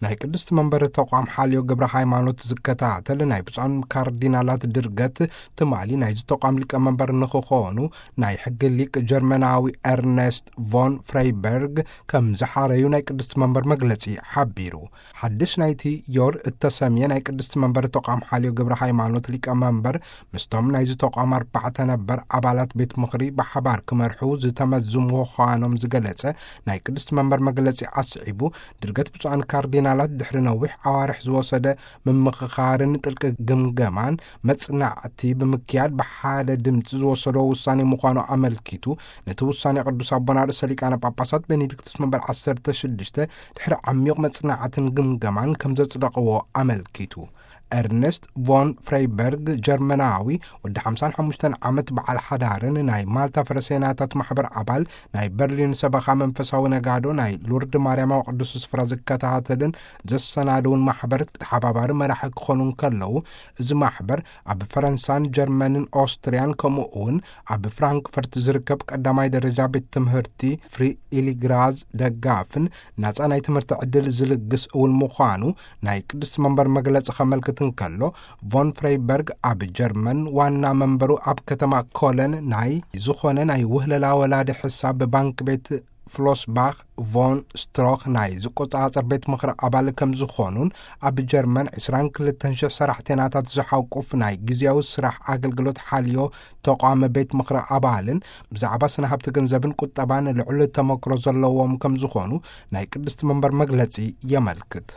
ናይ ቅድስቲ መንበር ተቋም ሓልዮ ግብረ ሃይማኖት ዝከታተል ናይ ብፁዓን ካርዲናላት ድርገት ትማሊ ናይዚ ተቋም ሊቀመንበር ንክኾኑ ናይ ሕጊ ሊቅ ጀርመናዊ ኤርነስት ቮን ፍሬይበርግ ከም ዝሓረዩ ናይ ቅድስቲ መንበር መግለጺ ሓቢሩ። ሓድሽ ናይቲ ዮር እተሰምየ ናይ ቅድስቲ መንበር ተቋም ሓልዮ ግብረ ሃይማኖት ሊቀመንበር ምስቶም ናይዚ ተቋም ኣርባዕተ ነበር ኣባላት ቤት ምኽሪ ብሓባር ክመርሑ ዝተመዙ ምዃኖም ዝገለጸ ናይ ቅድስቲ መንበር መግለጺ ኣስዒቡ፣ ድርገት ብፁዓን ካርዲናላት ድሕሪ ነዊሕ ኣዋርሕ ዝወሰደ ምምኽኻርን ጥልቂ ግምገማን መጽናዕቲ ብምክያድ ብሓደ ድምፂ ዝወሰዶ ውሳኔ ምዃኑ ኣመልኪቱ፣ ነቲ ውሳኔ ቅዱስ ኣቦና ርእሰ ሊቃነ ጳጳሳት ቤኔዲክቱስ መንበር ዓሰርተ ሽዱሽተ ድሕሪ ዓሚቕ መጽናዕትን ግምገማን ከም ዘጽደቕዎ ኣመልኪቱ። ኤርነስት ቮን ፍሬይበርግ ጀርመናዊ ወዲ ሓምሳን ሓሙሽተን ዓመት በዓል ሓዳርን ናይ ማልታ ፈረሰይናታት ማሕበር ኣባል፣ ናይ በርሊን ሰበኻ መንፈሳዊ ነጋዶ፣ ናይ ሉርድ ማርያማዊ ቅዱስ ስፍራ ዝከታተልን ዘሰናድውን ማሕበር ተሓባባሪ መራሒ ክኾኑ እንከለዉ፣ እዚ ማሕበር ኣብ ፈረንሳን ጀርመንን ኦስትርያን ከምኡ እውን ኣብ ፍራንክፈርት ዝርከብ ቀዳማይ ደረጃ ቤት ትምህርቲ ፍሪ ኢሊግራዝ ደጋፍን ናጻ ናይ ትምህርቲ ዕድል ዝልግስ እውን ምዃኑ ናይ ቅድስቲ መንበር መግለጺ ከመልክት እንከሎ፣ ቮን ፍሬይበርግ ኣብ ጀርመን ዋና መንበሩ ኣብ ከተማ ኮለን ናይ ዝኾነ ናይ ውህለላ ወላዲ ሕሳብ ባንክ ቤት ፍሎስባኽ ቮን ስትሮኽ ናይ ዝቆጻጸር ቤት ምኽሪ ኣባል ከም ዝኾኑን ኣብ ጀርመን ዕስራን ክልተን ሽሕ ሰራሕተናታት ዝሓቁፍ ናይ ግዜያዊ ስራሕ ኣገልግሎት ሓልዮ ተቋም ቤት ምኽሪ ኣባልን ብዛዕባ ስነ ሃብቲ ገንዘብን ቁጠባን ልዑል ተመክሮ ዘለዎም ከም ዝኾኑ ናይ ቅድስቲ መንበር መግለጺ የመልክት።